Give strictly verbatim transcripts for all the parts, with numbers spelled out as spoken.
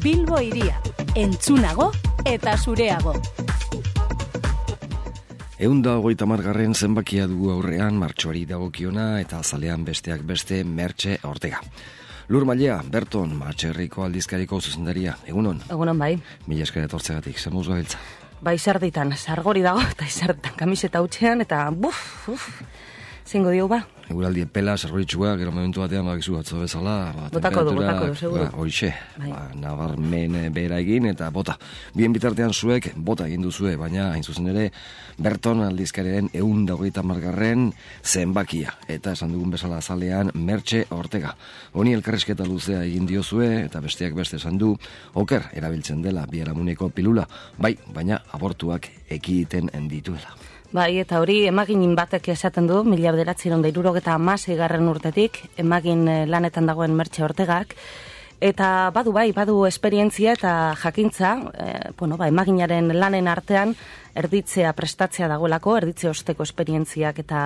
Bilbo hiria, entzunago eta zureago. Eunda hogeita margarren zenbakia dugu aurrean martxoari dagokiona eta azalean besteak beste Mertxe Ortega. Lur Mailea, Berton, Matxerriko aldizkariko zuzendaria. Egunon? Egunon bai. Mila esker etortzegatik, zer moduz gabiltza? Ba, izerditan, sargori dago eta izerditan kamiseta hutxean eta buf, uf, zingo diogu ba. Eguraldi epela, sargoritxua, gero momentu batean bakizu atzo bezala. Ba, botako du, botako du, seguro. Ba, hoixe, bai. ba, nabarmen behera egin eta bota. Bien bitartean zuek bota egin duzue, baina hain zuzen ere Berton aldizkariaren ehun eta hogeita margarren zenbakia. Eta esan dugun bezala azalean Mertxe Ortega. Honi elkarrizketa luzea egin diozue eta besteak beste esan du oker erabiltzen dela biharamuneko pilula, bai, baina abortuak ekiditen dituela. Bai, eta hori emagin batek esaten du, mila bederatziehun eta hirurogeta hamaseigarren urtetik, emagin lanetan dagoen Mertxe Ortegak, eta badu bai, badu esperientzia eta jakintza, e, bueno, ba, emaginaren lanen artean, erditzea prestatzea dagoelako, erditze osteko esperientziak eta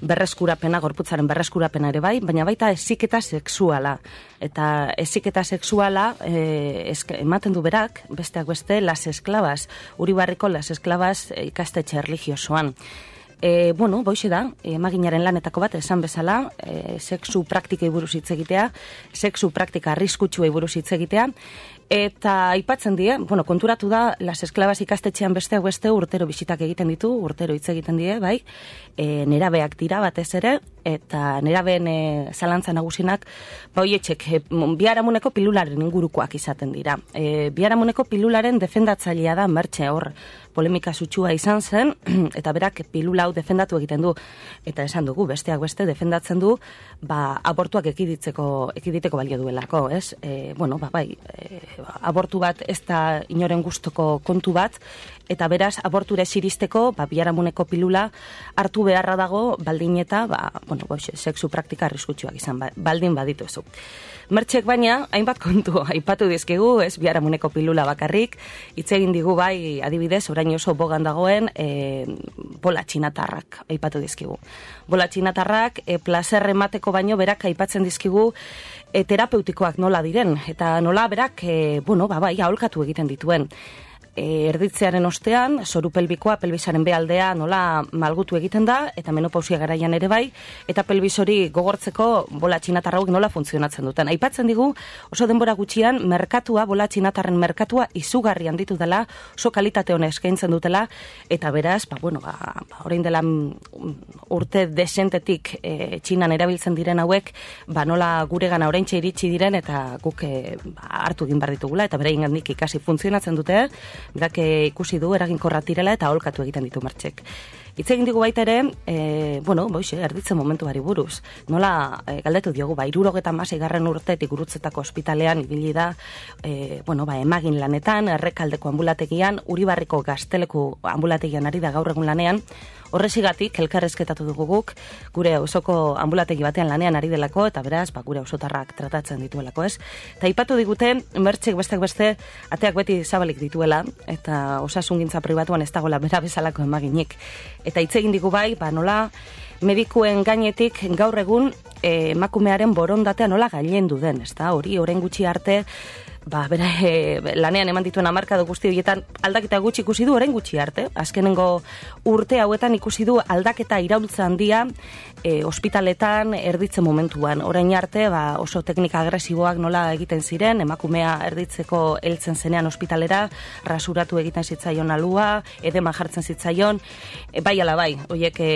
berreskurapena, gorputzaren berreskurapena ere bai, baina baita heziketa sexuala. Eta heziketa sexuala e, esk, ematen du berak, besteak beste, Las Esclavas, Uribarriko Las Esclavas ikastetxe erligiosoan. E, bueno, boixe da, emaginaren lanetako bat esan bezala, e, sexu praktikei buruz hitz egitea, sexu praktika arriskutsuei buruz hitz egitea, eta aipatzen die, bueno, konturatu da, Las Esclavas ikastetxean besteak beste urtero bisitak egiten ditu, urtero hitz egiten die, bai, e, nerabeak dira batez ere, eta nerabeen e, zalantza nagusinak, ba hoietxek, e, biharamuneko pilularen ingurukoak izaten dira. E, biharamuneko pilularen defendatzailea da Mertxe, hor, polemika sutsua izan zen, eta berak pilula hau defendatu egiten du, eta esan dugu, besteak beste defendatzen du, ba, abortuak ekiditzeko, ekiditeko balio duelako, ez? E, bueno, ba, bai, e, abortu bat ez da inoren gustoko kontu bat, eta beraz, aborture siristeko, ba, biharamuneko pilula hartu beharra dago, baldin eta, ba, bueno, boixe, sexu praktika arriskutsuak izan, ba, baldin badituzu. Mertxek baina, hainbat kontu, aipatu dizkigu, ez biharamuneko pilula bakarrik, hitz egin digu bai, adibidez, orain oso bogan dagoen, e, bola txinatarrak, aipatu dizkigu. Bola txinatarrak, e, plazer emateko baino, berak aipatzen dizkigu, e, terapeutikoak nola diren, eta nola berak, e, bueno, ba, bai, aholkatu egiten dituen. E, erditzearen ostean, zoru pelbikoa, pelbisaren bealdea nola malgutu egiten da, eta menopausia garaian ere bai, eta pelbis hori gogortzeko bola txinatarra hauek nola funtzionatzen duten. Aipatzen digu, oso denbora gutxian, merkatua, bola txinatarren merkatua izugarri handitu dela, oso kalitate hona eskaintzen dutela, eta beraz, ba, bueno, ba, orain dela urte desentetik e, Txinan erabiltzen diren hauek, ba, nola guregana oraintxe iritsi diren, eta guk e, ba, hartu egin behar ditugula, eta beraien gandik ikasi funtzionatzen dute, berak ikusi du eraginkorra direla eta aholkatu egiten ditu Mertxek. Hitz egin digu baita ere, e, bueno, boixe, erditzen momentuari buruz. Nola, e, galdetu diogu, ba, hirurogeta hamaseigarren urtetik Gurutzetako ospitalean ibili da, e, bueno, ba, emagin lanetan, Errekaldeko ambulategian, Uribarriko Gazteleku ambulategian ari da gaur egun lanean. Horrezigatik, elkarrezketatu dugu guk, gure osoko ambulategi batean lanean ari delako, eta beraz, ba, gure osotarrak tratatzen dituelako, ez? Eta ipatu diguten, Mertxek besteak beste, ateak beti zabalik dituela, eta osasungintza pribatuan ez dagoela bera bezalako emaginik. Eta hitz egin digu bai, ba, nola medikuen gainetik gaur egun eh, emakumearen borondatea nola gailendu den, ez da? Hori, orain gutxi arte, ba, bera, e, lanean eman dituen hamarkada guzti horietan aldaketa gutxi ikusi du, orain gutxi arte. Azkenengo urte hauetan ikusi du aldaketa iraultza handia e, ospitaletan erditze momentuan. Orain arte, ba, oso teknika agresiboak nola egiten ziren, emakumea erditzeko heltzen zenean ospitalera, rasuratu egiten zitzaion alua, edema jartzen zitzaion, e, bai ala bai, horiek e,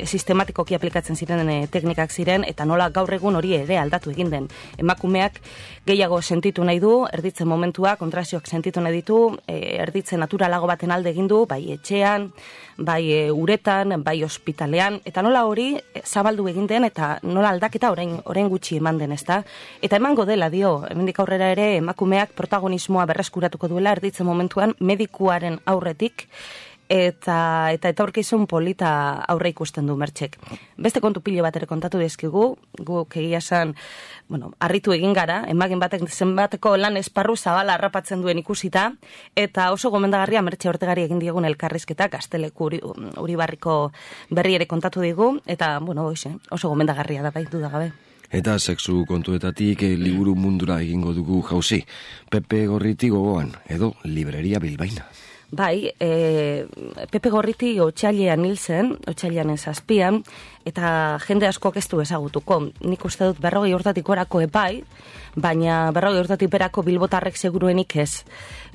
sistematikoki aplikatzen ziren e, teknikak ziren, eta nola gaur egun hori ere aldatu egin den. Emakumeak gehiago sentitu nahi du, erditzen momentua, kontrazioak sentitu nahi ditu, e, erditze naturalago baten alde egin du, bai etxean, bai e, uretan, bai ospitalean, eta nola hori e, zabaldu egin den, eta nola aldaketa orain, orain gutxi eman den, ezta? Eta emango dela dio, hemendik aurrera ere emakumeak protagonismoa berreskuratuko duela erditze momentuan medikuaren aurretik, eta eta etorkizun polita aurre ikusten du Mertxek. Beste kontu pilo bat ere kontatu dizkigu, guk egia esan, bueno, harritu egin gara, emagin batek zenbateko lan esparru zabala harrapatzen duen ikusita, eta oso gomendagarria Mertxe Ortegari egin diegun elkarrizketa Gazteleku uri, Uribarriko berri ere kontatu digu, eta, bueno, oixe, oso gomendagarria da bai, dudagabe. Eta sexu kontuetatik e, liburu mundura egingo dugu jauzi. Pepe Gorriti gogoan, edo Libreria Bilbaina. Bai, e, Pepe Gorriti otsailean hil zen, otsailean zazpian, eta jende askok ez du ezagutuko. Nik uste dut berrogei urtatik orako epai, baina berrogei urtatik berako bilbotarrek seguruenik ez.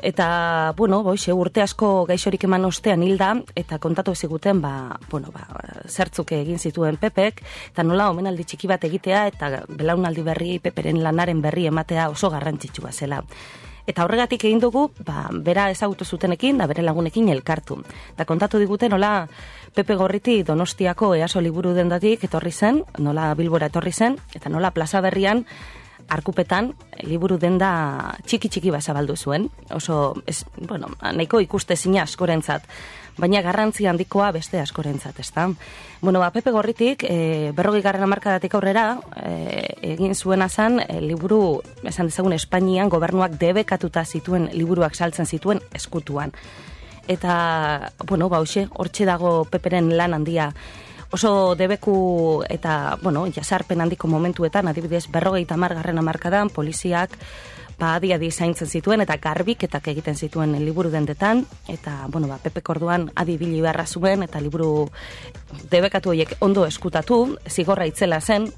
Eta, bueno, boixe, urte asko gaixorik eman ostean hilda, eta kontatu ziguten, ba, bueno, ba, zertzuk egin zituen Pepek, eta nola omenaldi txiki bat egitea, eta belaunaldi berri, Peperen lanaren berri ematea oso garrantzitsua zela. Eta horregatik egin dugu, ba, bera ezagutu zutenekin, da bere lagunekin elkartu. Eta kontatu digute nola Pepe Gorriti Donostiako Easo liburu dendatik etorri zen, nola Bilbora etorri zen, eta nola Plaza Berrian Arkupetan liburu denda txiki-txiki bazabaldu zuen. Oso, ez, bueno, nahiko ikuste zina askorentzat, baina garrantzi handikoa beste askorentzat, ezta? Bueno, ba, Pepe Gorritik, e, berrogei garren hamarkadatik aurrera, e, egin zuena zen, e, liburu, esan dezagun, Espainian gobernuak debekatuta zituen liburuak saltzen zituen eskutuan. Eta, bueno, ba, hoxe, hortxe dago Peperen lan handia. Oso debeku eta, bueno, jasarpen handiko momentuetan, adibidez, berrogei tamar garren hamarkadan, poliziak, ba, adi-adi zaintzen zituen, eta garbiketak egiten zituen liburu dendetan, eta, bueno, ba, Pepe Korduan adi bili beharra zuen, eta liburu debekatu horiek ondo eskutatu, zigorra itzela zen,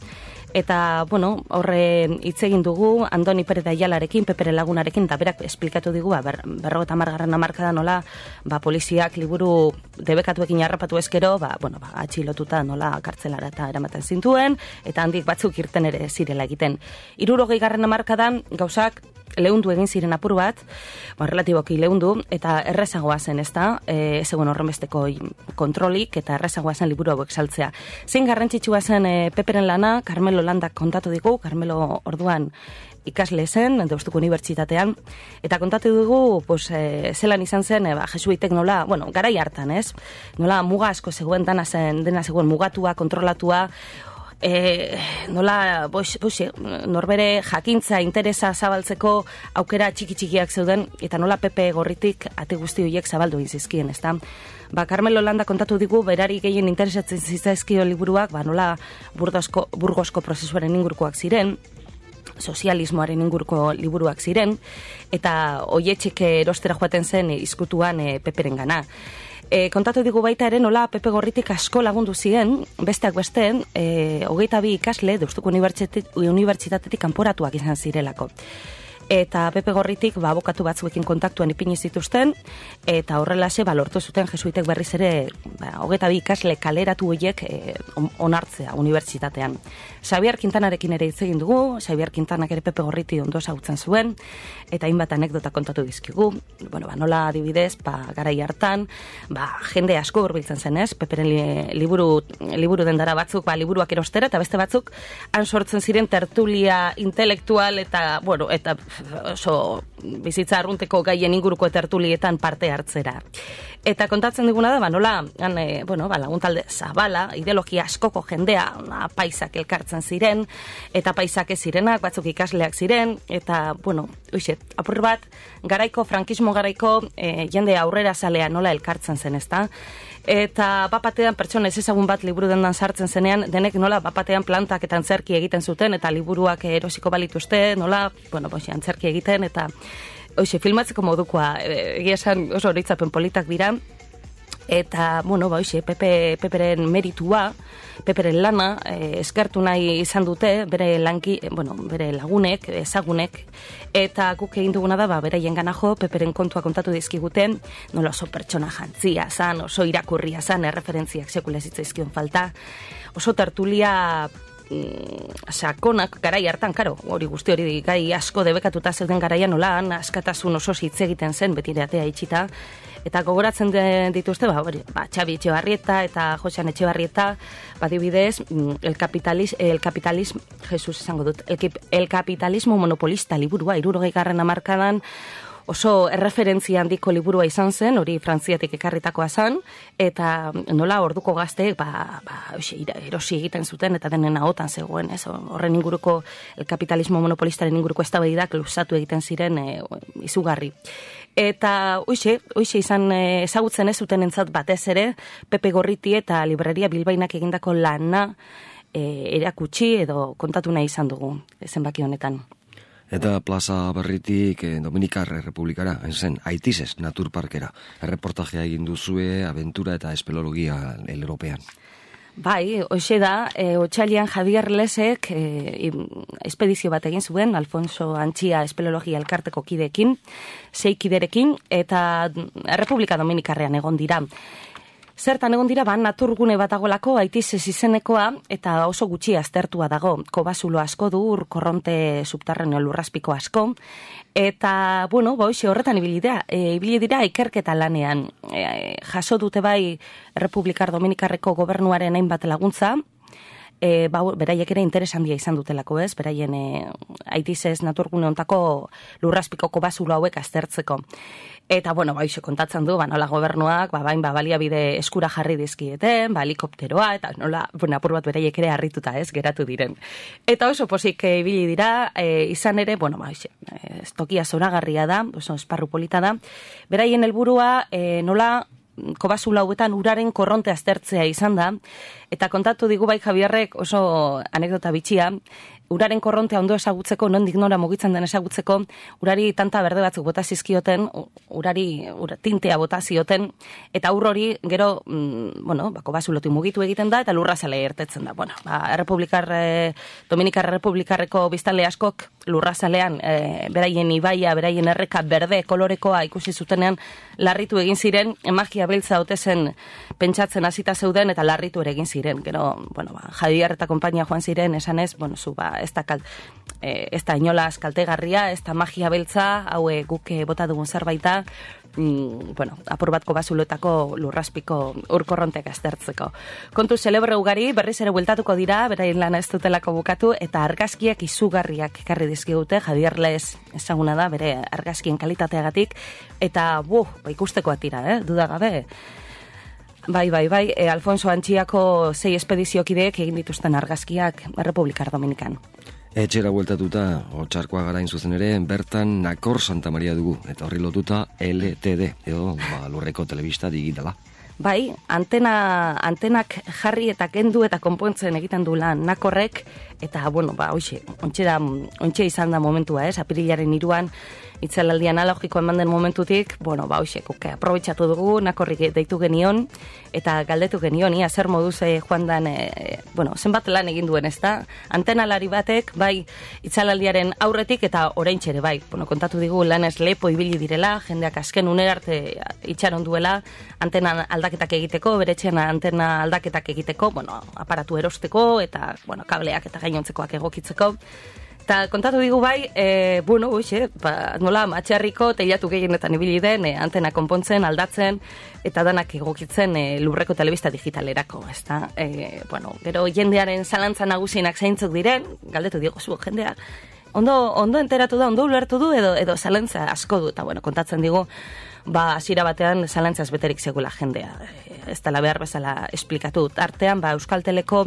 eta, bueno, horre hitz egin dugu, Andoni Perez de Ayalarekin, Pepere lagunarekin, eta berak esplikatu digu, ba, ber, berrogeta margarren hamarkada nola, ba, poliziak liburu debekatuekin harrapatu ezkero, ba, bueno, ba, atxilotuta nola kartzelara eta eramaten zintuen, eta handik batzuk irten ere zirela egiten. Hirurogei garren hamarkadan gauzak leundu egin ziren apur bat, ba, relatiboki leundu, eta errezagoa zen, ezta, e, ez egon horrenbesteko kontrolik, eta errezagoa zen liburu hauek saltzea. Zein garrantzitsua zen e, Peperen lana, Carmelo Landak kontatu digu, Carmelo orduan ikasle zen, Deustuko Unibertsitatean, eta kontatu dugu, pues, e, zelan izan zen, e, ba, jesuitek nola, bueno, garai hartan, ez? Nola muga asko zegoen, dana zen, dena zegoen mugatua, kontrolatua, E, nola, boix, boix, norbere jakintza, interesa zabaltzeko aukera txiki-txikiak zeuden, eta nola Pepe Gorritik ate guzti horiek zabaldu izizkien, ezta? Ba, Carmelo Landa kontatu digu, berari gehien interesatzen zitzaizkio liburuak, ba, nola burgosko, burgosko prozesuaren ingurukoak ziren, sozialismoaren inguruko liburuak ziren, eta hoietxek erostera joaten zen izkutuan e, Peperen gana. E, kontatu digu baita ere nola Pepe Gorritik asko lagundu ziren, besteak beste, e, hogeita bi ikasle Deustuko Unibertsitatetik kanporatuak izan zirelako. Eta Pepe Gorritik ba, abokatu batzuekin kontaktuan ipini zituzten, eta horrelase ba, lortu zuten jesuitek berriz ere ba, hogeita bi ikasle kaleratu horiek e, onartzea unibertsitatean. Xabier Quintanarekin ere hitz egin dugu, Xabier Quintanak ere Pepe Gorriti ondo ezagutzen zuen, eta hainbat anekdota kontatu dizkigu. Bueno, ba, nola adibidez, ba, garai hartan, ba, jende asko hurbiltzen zen, ez? Peperen li, liburu, liburu dendara batzuk, ba, liburuak erostera, eta beste batzuk han sortzen ziren tertulia intelektual, eta, bueno, eta oso bizitza arrunteko gaien inguruko tertulietan parte hartzera. Eta kontatzen diguna da, ba, nola, han, e, bueno, ba, laguntalde zabala, ideologia askoko jendea, na, paisak elkartzen ziren, eta paisak ez zirenak, batzuk ikasleak ziren, eta, bueno, uixet, apur bat, garaiko, frankismo garaiko, e, jende aurrera zalea nola elkartzen zen, ezta? Eta bapatean pertsona ez ezagun bat liburu dendan sartzen zenean, denek nola bapatean plantak eta antzerki egiten zuten, eta liburuak erosiko balituzte, nola, bueno, boxe, antzerki egiten, eta hoxe, filmatzeko modukoa, egia esan oso horitzapen politak dira, eta, bueno, ba, hoxe, Pepe, Peperen meritua, Peperen lana, eh, eskertu nahi izan dute, bere lanki, bueno, bere lagunek, ezagunek, eta guk egin duguna da, ba, beraien gana jo, Peperen kontua kontatu dizkiguten, nola oso pertsona jantzia zan, oso irakurria zan, erreferentziak sekula zitzaizkion falta, oso tertulia sakonak garai hartan, karo, hori guzti hori gai asko debekatuta zeuden garaian nolan, askatasun oso hitz egiten zen, beti atea itxita, eta gogoratzen dituzte, ba, hori, ba, Txabi Etxebarrieta eta Josean Etxebarrieta, ba, dibidez, el capitalismo, el capitalismo, Jesus esango dut, el, el capitalismo monopolista liburua, hirurogei garren hamarkadan, oso erreferentzia handiko liburua izan zen, hori Frantziatik ekarritakoa zen, eta nola orduko gazteek ba, ba, erosi egiten zuten, eta denen ahotan zegoen, ez? Horren inguruko, el kapitalismo monopolistaren inguruko eztabaidak luzatu egiten ziren e, izugarri. Eta hoixe, hoixe izan ezagutzen ez zuten entzat batez ere, Pepe Gorriti eta Libreria Bilbainak egindako lana, e, erakutsi edo kontatu nahi izan dugu zenbaki honetan. Eta plaza berritik eh, Dominikar Errepublikara, zen, Aitizez Naturparkera. Erreportajea egin duzue, aventura eta espeleologia European. Bai, hoxe da, e, otxailian Javier Lesek e, espedizio bat egin zuen, Alfonso Antxia espeleologia elkarteko kideekin, sei kiderekin, eta Errepublika Dominikarrean egon dira. Zertan egon dira, ba, naturgune bat agolako, Aitizez izenekoa, eta oso gutxi aztertua dago. Kobazulo asko du, ur korronte subterraneo lurrazpiko asko, eta, bueno, ba, hoxe horretan ibili dira, e, ibili dira ikerketa lanean. E, jaso dute bai Errepublikar Dominikarreko gobernuaren hainbat laguntza, e, ba, beraiek ere interes handia izan dutelako, ez? Beraien e, Aitizez naturgune ontako lurrazpiko kobazulo hauek aztertzeko. Eta, bueno, ba, kontatzen du, ba, nola gobernuak, ba, bain, ba, baliabide eskura jarri dizkieten, ba, helikopteroa, eta nola, bueno, apur bat beraiek ere harrituta, ez, geratu diren. Eta oso posik e, ibili dira, e, izan ere, bueno, ba, ez tokia zoragarria da, oso esparru polita da, beraien helburua e, nola, kobazula hauetan uraren korronte aztertzea izan da, eta kontatu digu bai Javierrek oso anekdota bitxia, uraren korrontea ondo esagutzeko, nondik nora mugitzen den esagutzeko, urari tanta berde batzuk bota zizkioten, urari ura, tintea bota zioten, eta ur hori gero, mm, bueno, bako bazulotik mugitu egiten da, eta lurra zale ertetzen da. Bueno, ba, Errepublikar, eh, Dominikar Errepublikarreko biztanle askok lurra zalean, eh, beraien ibaia, beraien erreka berde kolorekoa ikusi zutenean, larritu egin ziren, magia beltza ote zen pentsatzen hasita zeuden, eta larritu ere egin ziren. Gero, bueno, ba, Javier eta konpainia joan ziren, esanez, bueno, zu, ba, ez da, kal, e, ez da inolaz kaltegarria, ez da magia beltza, hau guk bota dugun zerbaita, mm, bueno, apur batko bazuloetako lurraspiko urkorronteak aztertzeko. Kontu celebre ugari, berriz ere bueltatuko dira, beraien lana ez dutelako bukatu, eta argazkiak izugarriak ekarri dizkigute, Javier Les ezaguna da, bere argazkien kalitateagatik, eta buh, ba, ikusteko atira, eh, dudagabe. Bai, bai, bai, e, Alfonso Antxiako sei espediziokideek egin dituzten argazkiak Errepublikar Dominikan. Etxera bueltatuta, Otxarkoa garain zuzen ere, bertan Nakor Santa Maria dugu, eta horri lotuta L T D, edo ba, lurreko telebista digitala. Bai, antena, antenak jarri eta kendu eta konpontzen egiten du lan Nakorrek, eta, bueno, ba, hoxe, ontxe, da, ontxe izan da momentua, ez, apirilaren iruan, itzalaldi analogiko eman den momentutik, bueno, ba, hoxe, kuke, aprobetxatu dugu, Nakorrik deitu genion, eta galdetu genion, ia, zer moduz eh, joan dan, eh, bueno, zenbat lan egin duen, ez da, antenalari batek, bai, itzalaldiaren aurretik, eta oraintxe ere, bai, bueno, kontatu digu, lanez lepo ibili direla, jendeak azken unerarte itxaron duela, antena aldaketak egiteko, beretxean antena aldaketak egiteko, bueno, aparatu erosteko, eta, bueno, kableak eta gainontzekoak egokitzeko. Eta kontatu digu bai, e, bueno, uxe, ba, nola, matxarriko teilatu gehienetan ibili den, e, antena konpontzen, aldatzen, eta danak egokitzen e, lurreko telebista digitalerako, ezta? E, bueno, gero jendearen zalantza nagusienak zeintzuk diren, galdetu diego zu, jendea, ondo, ondo enteratu da, ondo ulertu du, edo, edo zalantza asko du, eta bueno, kontatzen digu, ba, hasiera batean zalantzaz beterik zegoela jendea. Ez dela behar bezala esplikatu. Artean, ba, Euskalteleko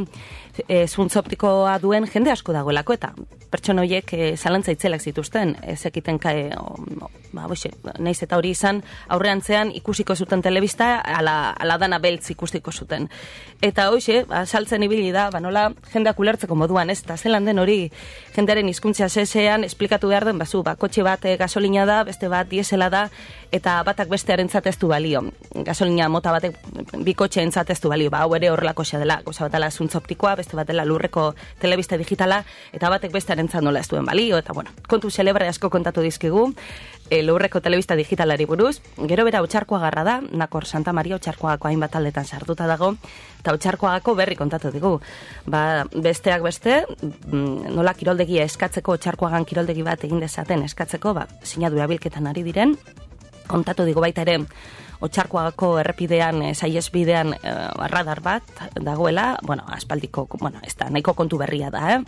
e, zuntz optikoa duen jende asko dagoelako, eta pertsona horiek e, zalantza itzelak zituzten, ez ekiten kae, o, o, ba, boxe, naiz eta hori izan, aurreantzean ikusiko zuten telebista, ala, ala dana beltz ikustiko zuten. Eta hoxe, ba, saltzen ibili da, ba, nola jendeak ulertzeko moduan, ez, eta zelan den hori jendearen hizkuntza zesean esplikatu behar den, bazu, ba, kotxe bat e, gasolina da, beste bat diesela da, eta batak bestearen zateztu balio. Gasolina mota batek bikotxeen zateztu balio, ba, hau ere horrelako xa dela, goza batela zuntz optikoa, beste batela lurreko telebista digitala, eta batek bestearen zat nola ez duen balio, eta bueno, kontu celebre asko kontatu dizkigu, e, lurreko telebista digitalari buruz, gero bera Otxarkoa garra da, Nakor Santa Maria Otxarkoagako hainbat aldetan sartuta dago, eta Otxarkoagako berri kontatu digu. Ba, besteak beste, nola kiroldegia eskatzeko, Otxarkoagan kiroldegi bat egin dezaten eskatzeko, ba, sinadura bilketan ari diren, kontatu digo baita ere, Otxarkoagako errepidean, e, saiesbidean e, radar bat dagoela, bueno, aspaldiko, bueno, ez da, nahiko kontu berria da, eh?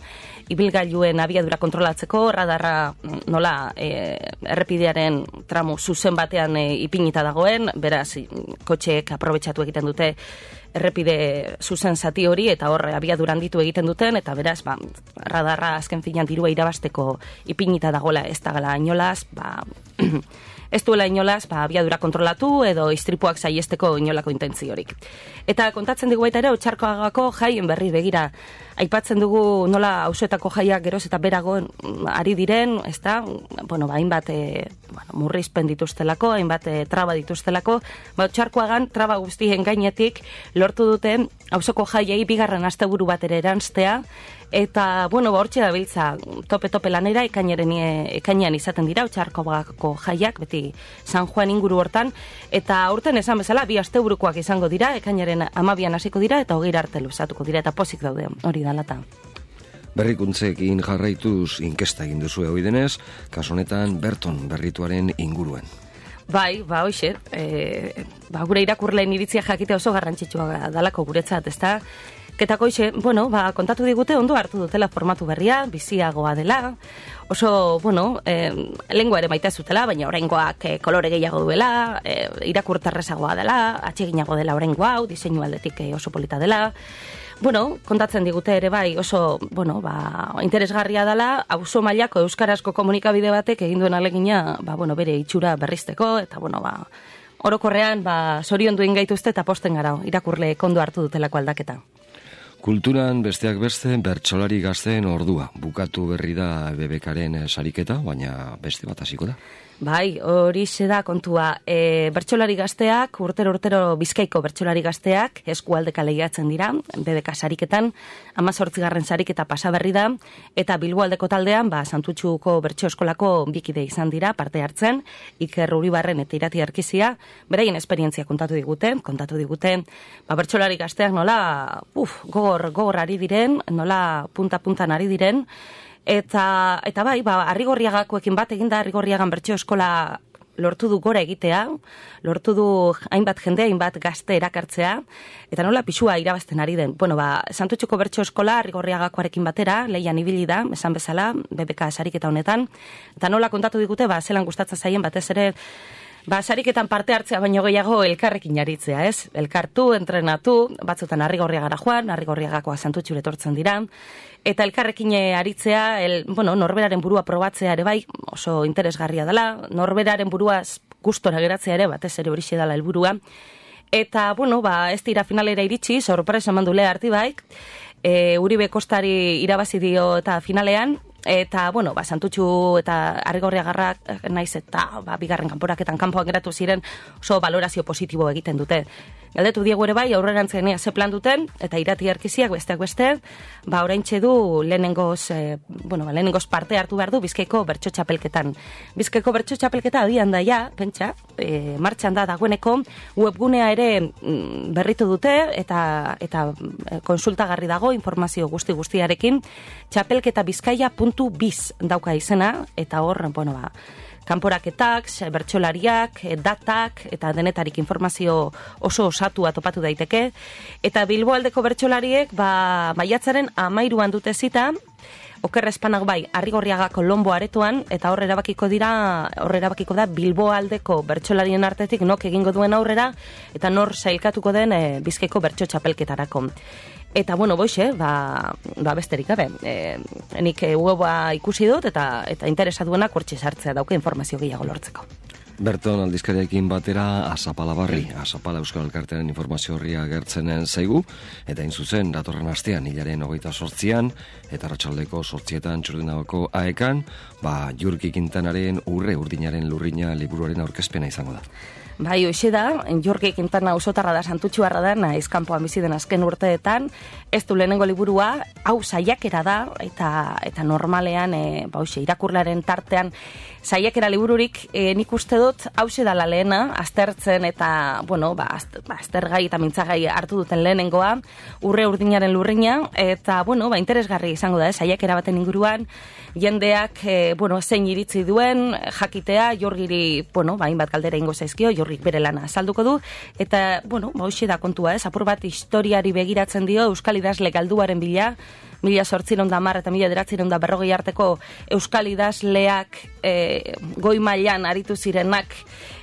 Ibilgailuen abiadura kontrolatzeko, radarra nola e, errepidearen tramu zuzen batean e, ipinita dagoen, beraz, kotxeek aprobetxatu egiten dute errepide zuzen zati hori, eta hor abiadura handitu egiten duten, eta beraz, ba, radarra azken finean dirua irabasteko ipinita dagoela ez da gala inolaz, ba, ez duela inolaz, ba, abiadura kontrolatu edo istripuak saiesteko inolako intentziorik. Eta kontatzen digu baita ere, Otxarkoagako jaien berri begira, aipatzen dugu nola auzoetako jaiak geroz eta berago ari diren, ez da, bueno, ba, hainbat e, bueno, murrizpen dituztelako, hainbat e, traba dituztelako, ba, Otxarkoagan traba guztien gainetik lortu duten auzoko jaiei bigarren asteburu bat ere eranztea, eta, bueno, ba, hortxe dabiltza tope-tope lanera, ekainaren, ekainean izaten dira, Otxarkoagako jaiak, beti San Juan inguru hortan, eta aurten esan bezala, bi asteburukoak izango dira, ekainaren amabian hasiko dira, eta hogeira arte luzatuko dira, eta pozik daude, hori da lata. Berrikuntzekin jarraituz inkesta egin duzu hoi denez, kasu honetan Berton berrituaren inguruen. Bai, ba, hoxe, e, ba, gure irakurleen iritzia jakite oso garrantzitsua dalako guretzat, ezta? Ketako hoxe, bueno, ba, kontatu digute ondo hartu dutela formatu berria, biziagoa dela, oso, bueno, e, lengua ere maite zutela, baina oraingoak e, kolore gehiago duela, e, irakurtarrezagoa dela, atseginago dela oraingo hau, diseinu aldetik e, oso polita dela. Bueno, kontatzen digute ere bai oso, bueno, ba, interesgarria dela, auzo mailako euskarazko komunikabide batek egin duen alegina, ba, bueno, bere itxura berrizteko, eta, bueno, ba, orokorrean, ba, zoriondu ingaituzte eta posten gara, irakurle kondo hartu dutelako aldaketa. Kulturan besteak beste bertsolari gazteen ordua. Bukatu berri da B B Karen sariketa, baina beste bat hasiko da. Bai, hori da kontua. E, bertsolari gazteak, urtero-urtero Bizkaiko bertsolari gazteak, eskualdeka lehiatzen dira, B B K sariketan, hamazortzigarren sariketa pasa berri da, eta Bilboaldeko taldean, ba, Santutxuko bertso eskolako bikide izan dira, parte hartzen, Iker Uribarren eta Irati Arkizia, beraien esperientzia kontatu digute, kontatu digute, ba, bertsolari gazteak nola, uf, gogor, gogor ari diren, nola punta-puntan ari diren, Eta, eta bai, ba, Arrigorriagakoekin bat eginda, Arrigorriagan bertso eskola lortu du gora egitea, lortu du hainbat jende, hainbat gazte erakartzea, eta nola pixua irabazten ari den. Bueno, ba, Santutxuko bertso eskola Arrigorriagakoarekin batera, lehian ibili da, esan bezala, B B K sariketa honetan, eta nola kontatu digute, ba, zelan gustatzen zaien batez ere, ba, sariketan parte hartzea baino gehiago elkarrekin aritzea, ez? Elkartu, entrenatu, batzutan Arrigorriagara joan, Arrigorriagakoa Santutxura etortzen dira, eta elkarrekin aritzea, el, bueno, norberaren burua probatzea ere bai, oso interesgarria dela, norberaren buruaz gustora geratzea ere, batez ere horixe dela helburua. Eta, bueno, ba, ez dira finalera iritsi, sorpresa eman du Lea Artibaik, e, Uribe Kostari irabazi dio eta finalean, eta, bueno, ba, Santutxu eta Arrigorriagarrak naiz eta ba, bigarren kanporaketan kanpoan geratu ziren oso valorazio positibo egiten dute. Galdetu diegu ere bai, aurrerantzenea ze plan duten, eta Irati Arkiziak besteak beste, ba, oraintxe du lehenengoz, e, bueno, ba, lehenengoz parte hartu behar du Bizkaiko bertso txapelketan. Bizkaiko bertso txapelketa abian da ja, pentsa, e, martxan da dagoeneko, webgunea ere mm, berritu dute, eta, eta konsultagarri dago, informazio guzti guztiarekin, txapelketa bizkaia puntu biz dauka izena, eta hor, bueno, ba, kanporaketak, bertsolariak, datak, eta denetarik informazio oso osatua topatu daiteke. Eta Bilboaldeko bertsolariek, ba, maiatzaren amairuan dute zita, okerra espanak bai, Arrigorriagako Lombo aretoan, eta hor erabakiko dira, hor erabakiko da Bilboaldeko bertsolarien artetik nok egingo duen aurrera, eta nor sailkatuko den e, Bizkaiko bertso txapelketarako. Eta, bueno, boixe, ba, ba besterik gabe. E, nik e, weba ikusi dut eta eta interesa duenak hortxe sartzea dauke informazio gehiago lortzeko. Berton aldizkariarekin batera Azapala Barri, Azapala Euskal Elkartearen informazio horria agertzenen zaigu, eta hain zuzen, datorren astean, hilaren hogeita sortzian, eta arratsaldeko sortzietan Txurdinagoko aekan, ba, Jurki Quintanaren urre urdinaren lurrina liburuaren aurkezpena izango da. Bai, hoxe da, Jurki Quintana auzotarra da, Santutxuarra da, naiz kanpoan bizi den azken urteetan, ez du lehenengo liburua, hau saiakera da, eta eta normalean, e, ba, hoxe, irakurlaren tartean, saiakera libururik, e, nik uste dut, hause dala lehena, aztertzen eta, bueno, ba, aztergai eta mintzagai hartu duten lehenengoa, urre urdinaren lurrina, eta, bueno, ba, interesgarri izango da, eh, saiakera baten inguruan, jendeak, e, bueno, zein iritzi duen, jakitea, Jorgiri, bueno, ba, hainbat galdera ingo zaizkio, Jorgik bere lana azalduko du, eta, bueno, ba, hoxe da kontua, ez, apur bat historiari begiratzen dio, Euskal idazle galduaren bila, mila sortziron da hamar eta mila bederatziehun da berrogei arteko euskal idazleak e, goi mailan aritu zirenak,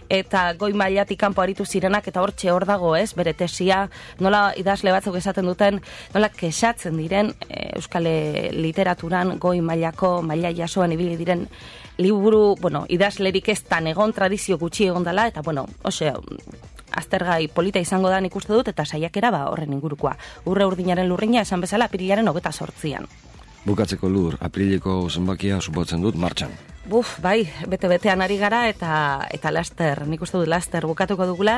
eta goi mailatik kanpo aritu zirenak, eta hortxe hor dago, ez, bere tesia, nola idazle batzuk esaten duten, nola kexatzen diren e, euskal literaturan goi mailako, maila jasoan ibili diren liburu, bueno, idazlerik ez tan egon, tradizio gutxi egon dela, eta, bueno, ose, aztergai polita izango da nik uste dut, eta saiakera ba horren ingurukoa. Urre urdinaren lurrina esan bezala apirilaren hogeta sortzian. Bukatzeko Lur, apirileko zenbakia supotzen dut martxan. Buf, bai, bete-betean ari gara, eta eta laster, nik uste dut laster bukatuko dugula,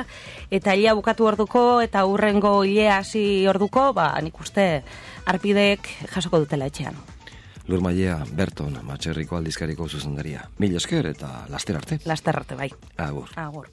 eta hilea bukatu orduko, eta urrengo hilea hasi orduko, ba, nik uste arpideek jasoko dutela etxean. Lur Mailea, Berton, Matxerriko aldizkariko zuzendaria. Mil esker eta laster arte. Laster arte, bai. Agur. Agur.